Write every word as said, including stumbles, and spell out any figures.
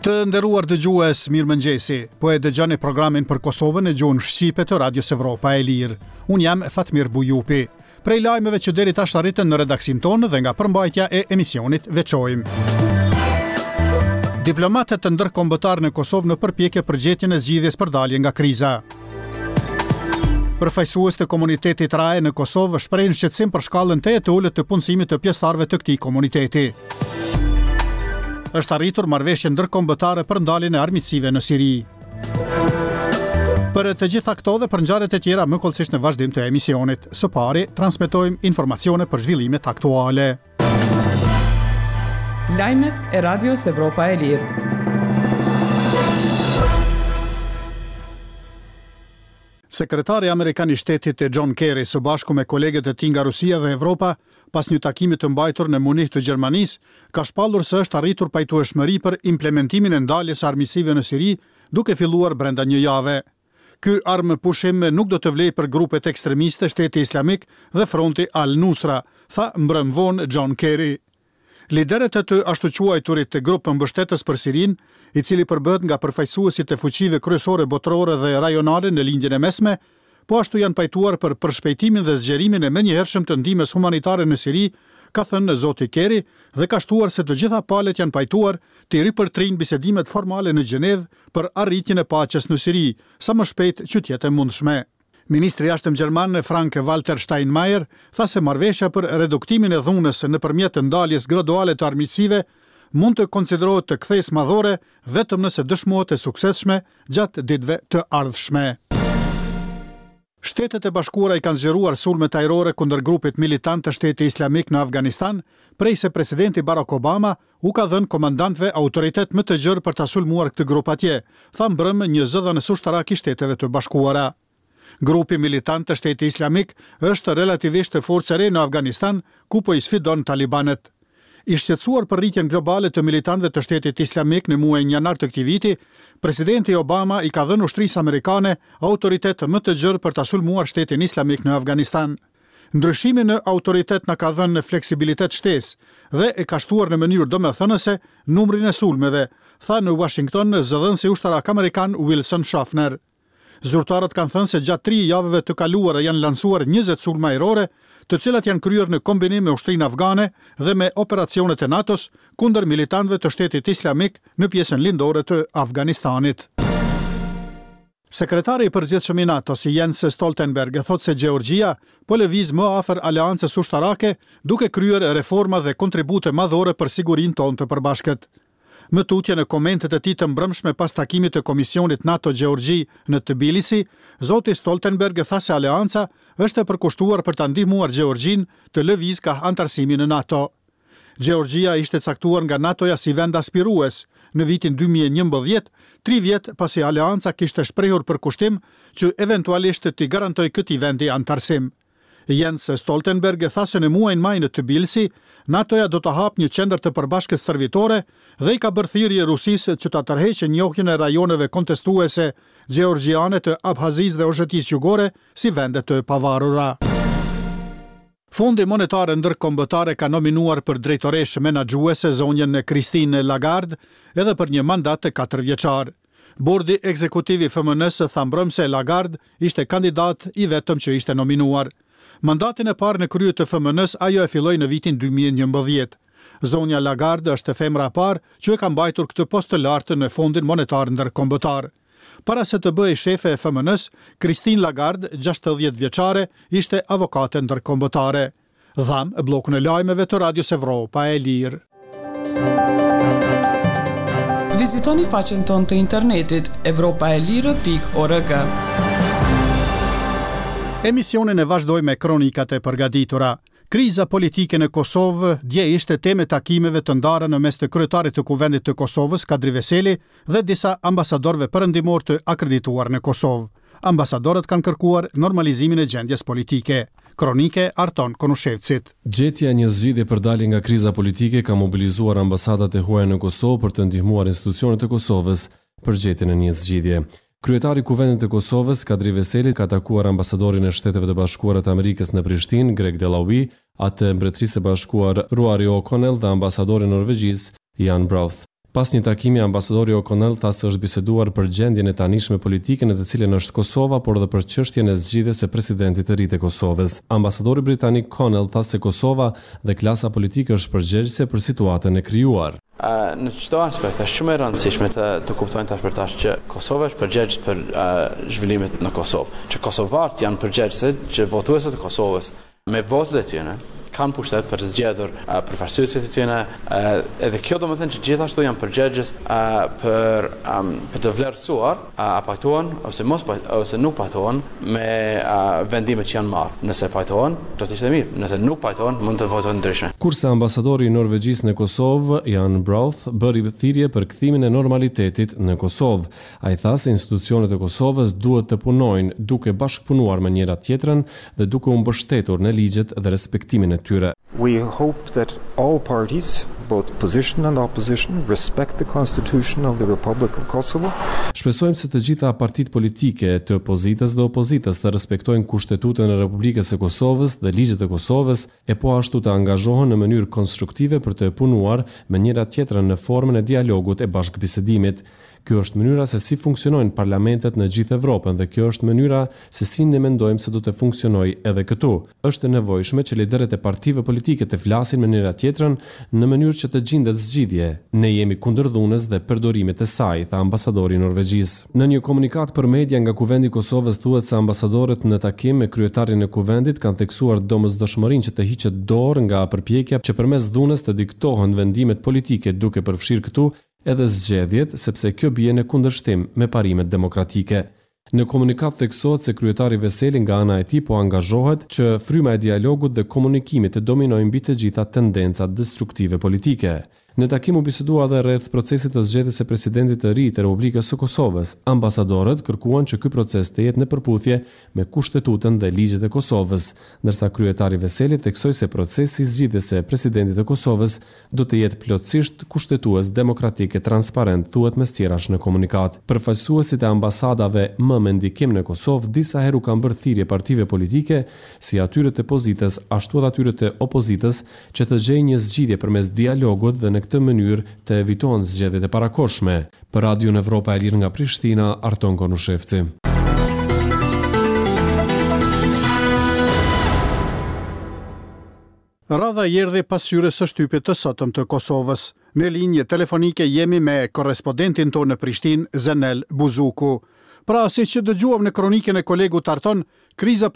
Të nderuar dëgjues, mirëmëngjesi. Po e dëgjoni programin për Kosovën në gjuhën shqipe të Radios Evropa e Lirë. Unë jam Fatmir Bujupi. Prej lajmeve që deri tash arritën në redaksinë tonë dhe nga përmbajtja e emisionit veçojmë. Diplomatët ndërkombëtar në Kosovë në përpjekje për gjetjen e zgjidhjes për dalje nga kriza. Përfaqësues të komunitetit R A E në Kosovë shprehin shqetësim për shkallën tejet të ulët të punësimit të pjesëtarëve të këtij komuniteti. Është arritur marrëveshje ndërkombëtare për ndaljen e armiqësive në Siri. Për të gjitha këto dhe për ngjarjet e tjera më hollësisht në vazhdim të emisionit. Së pari, transmetojmë informacione për zhvillimet aktuale. Lajmet e Radios Evropa e Lirë. Sekretari amerikan i shtetit John Kerry së bashku me kolegët e tij nga Rusia dhe Evropa, pas një takimi të mbajtur në Munih të Gjermanisë, ka shpallur se është arritur pajtueshmëri për implementimin e ndaljes së armiqësive në Siri, duke filluar brenda një jave. Ky armë pushim nuk do të vlejë për grupet ekstremiste, Shteti Islamik dhe Fronti Al-Nusra, tha mbrëm vonë John Kerry. Liderët e të ashtuquajturit të grup mbështetës për Sirinë, i cili përbëhet nga përfaqësuesit e fuqive kryesore botërore dhe rajonale në Lindjen e Mesme, po ashtu janë pajtuar për përshpejtimin dhe zgjerimin e menjëhershëm të ndihmës humanitare në Siri, ka thënë zoti Kerry dhe ka shtuar se të gjitha palët janë pajtuar të ripërtrijnë bisedimet formale në Gjenevë për arritjen e paqes në Siri, sa më shpejt që të jetë e mundshme. Ministri i Jashtëm gjerman Frank Walter Steinmeier tha se marrëveshja për reduktimin e dhunës nëpërmjet ndaljes graduale të armiqësive mund të konsiderohet të kthesë madhore vetëm nëse dëshmohet e suksesshme gjatë ditëve të ardhshme. Shtetet e Bashkuara i kanë zgjeruar sulmet ajrore kundër grupit militant të Shteti Islamik në Afganistan, prej se presidenti Barack Obama u ka dhënë komandantëve autoritet më të gjerë për ta sulmuar këtë grup atje, tha mbrëmë një zëdhënës ushtarak i Shteteve të Bashkuara. Grupi militant të Shteti Islamik është relativisht forcë e re në Afganistan, ku po i sfidon talibanët. I shqetësuar për rritjen globale të militantëve të Shtetit Islamik në muajin janar të këtij viti, presidenti Obama i ka dhënë ushtrisë amerikane autoritet më të gjerë për ta sulmuar Shtetin Islamik në Afganistan. Ndryshimi në autoritet na ka dhënë fleksibilitet shtesë dhe e ka shtuar në mënyrë domethënëse numrin e sulmeve, tha në Washington zëdhënësi ushtarak amerikan Wilson Schaffner. Zyrtarët kanë thënë se gjatë tri javëve të kaluara janë lansuar njëzet sulme ajrore, të cilat janë kryer në kombinim me ushtrinë afgane dhe me operacionet e NATO-s kundër militantëve të Shtetit Islamik në pjesën lindore të Afganistanit. Sekretari i përgjithshëm i NATO-s Jens Stoltenberg thotë se Gjeorgjia po lëviz më afër aleancës ushtarake, duke kryer reforma dhe kontribute madhore për sigurinë tonë të përbashkët. Më tutje, në komentet e tij të mbrëmshme pas takimit të Komisionit NATO-Gjeorgji në Tbilisi, zoti Stoltenberg tha se aleanca është e përkushtuar për ta ndihmuar Gjeorgjinë të lëviz kah anëtarësimi në NATO. Gjeorgjia ishte caktuar nga NATO-ja si vend aspirues në vitin dy mijë e njëmbëdhjetë, tri vjet pasi aleanca kishte shprehur përkushtim që eventualisht t'i garantoj këtij vendi anëtarësim. Jens Stoltenberg tha se në muajin maj në Tbilisi, NATO-ja do të hapë një qendër të përbashkët stërvitore dhe i ka bërë thirrje Rusisë që ta tërheqë njohjen e rajoneve kontestuese gjeorgjiane të Abhazisë dhe Osetisë Jugore si vende të pavarura. Fondi Monetar Ndërkombëtar ka nominuar për drejtoreshë menaxhuese zonjën Christine Lagarde edhe për një mandat të katër vjeçar. Bordi ekzekutiv i F M N-së tha mbrëmë se Lagarde ishte kandidat i vetëm që ishte nominuar. Mandatin e parë në krye të F M N-s ajo e filloi në vitin dy mijë e njëmbëdhjetë. Zonja Lagarde është femra e parë që e ka mbajtur këtë post të lartë në Fondin Monetar Ndërkombëtar. Para se të bëhej shefe e F M N-s, Christine Lagarde, gjashtëdhjetë vjeçare, ishte avokate ndërkombëtare. Dhamë bllokun e lajmeve të Radios Evropa e Lirë. Vizitoni faqen tonë të internetit evropaelire pikë org. Emisionin e vazhdoj me kronikat e përgatitura. Kriza politike në Kosovë dje ishte temë e takimeve të ndara në mes të kryetarit të Kuvendit të Kosovës, Kadri Veseli, dhe disa ambasadorëve perëndimor të akredituar në Kosovë. Ambasadorët kanë kërkuar normalizimin e gjendjes politike. Kronike Arton Konushevcit. Gjetja e një zgjidhje për dalje nga kriza politike ka mobilizuar ambasadat e huaja në Kosovë për të ndihmuar institucionet e Kosovës për gjetjen e një zgjidhje. Kryetari i Kuvendit të Kosovës, Kadri Veseli, ka takuar ambasadorin e Shteteve të Bashkuara të Amerikës në Prishtinë, Greg Delawie, atë Mbretërisë së Bashkuar Ruari O'Connell dhe ambasadorin e Norvegjisë, Jan Broth. Pas një takimi, ambasadori O'Connell tha se është biseduar për gjendjen e tanishme politike në të cilën është Kosova, por edhe për çështjen e zgjidhjes së presidentit të ri të Kosovës. Ambasadori britanik Connell tha se Kosova dhe klasa politike është përgjegjëse për situatën e krijuar. Në çdo aspekt është shumë e rëndësishme të të kuptojnë tash për tash që Kosova është përgjegjës për uh, zhvillimet në Kosovë, që kosovarët janë përgjegjës, që votuesit e Kosovës me votat e tyre kanë pushtet për të zgjedhur uh, përfaqësuesit e tyre, uh, edhe kjo do të thënë që gjithashtu janë përgjegjës uh, për um, për të vlerësuar uh, a pajtohen ose mos pajtohen ose nuk pajtohen me uh, vendimet që janë marrë. Nëse pajtohen, do të ishte mirë. Nëse nuk pajtohen, mund të votojnë ndryshe. Kurse ambasadori i Norvegjisë në Kosovë, Jan Braathu, bëri thirrje për kthimin e normalitetit në Kosovë. Ai tha se institucionet e Kosovës duhet të punojnë duke bashkëpunuar me njëra tjetrën dhe duke u mbështetur në ligjet dhe respektimin e tyre. We hope that all parties, both position and opposition, respect the Constitution of the Republic of Kosovo. Shpresojmë se të gjitha partitë politike të pozitës dhe opozitës të respektojnë Kushtetutën e Republikës së Kosovës dhe ligjet e Kosovës e po ashtu të angazhohen në mënyrë konstruktive për të punuar me njëra tjetrën në formën e dialogut e bashkëbisedimit. Kjo është mënyra se si funksionojnë parlamentet në gjithë Evropën dhe kjo është mënyra se si ne mendojmë se do të funksionojë edhe këtu. Është e nevojshme që liderët e partive politike të flasin me njëra tjetrën në mënyrë që të gjendet zgjidhje. Ne jemi kundër dhunës dhe përdorimit të saj, tha ambasadori i Norvegjisë. Në një komunikatë për media nga Kuvendi i Kosovës thuhet se ambasadorët në takim me kryetarin e Kuvendit kanë theksuar domosdoshmërinë që të hiqet dorë nga përpjekja që përmes dhunës të diktohen vendimet politike, duke përfshirë këtu edhe zgjedhjet, sepse kjo bie në kundërshtim me parimet demokratike. Në komunikatë theksohet se kryetari Veseli nga ana e tij po angazhohet që fryma e dialogut dhe komunikimit të dominojë mbi të gjitha tendencat destruktive politike. Në takim u bisedua edhe rreth procesit të zgjedhjes së presidentit të ri të Republikës së Kosovës. Ambasadorët kërkuan që ky proces të jetë në përputhje me kushtetutën dhe ligjet e Kosovës, ndërsa kryetari Veseli theksoi se procesi i zgjedhjes së presidentit të Kosovës do të jetë plotësisht kushtetues, demokratik e transparent, thuhet mes tjerash në komunikatë. Përfaqësuesit e ambasadave më me ndikim në Kosovë disa herë u kanë bërë thirrje partive politike, si atyre të pozitës ashtu edhe atyre të opozitës, që të gjejnë një zgjidhje përmes dialogut dhe në këtë mënyrë të evitohen zgjedhjet e parakohshme. Për Radion Evropa e Lirë nga Prishtina, Arton Konushevci. Radha i erdhi pasqyrës së shtypit të sotëm të Kosovës. Në linjë telefonike jemi me korrespondentin tonë në Prishtinë, Zenel Buzuku. Pra, siç dëgjuam në kronikën e kolegut Arton, kriza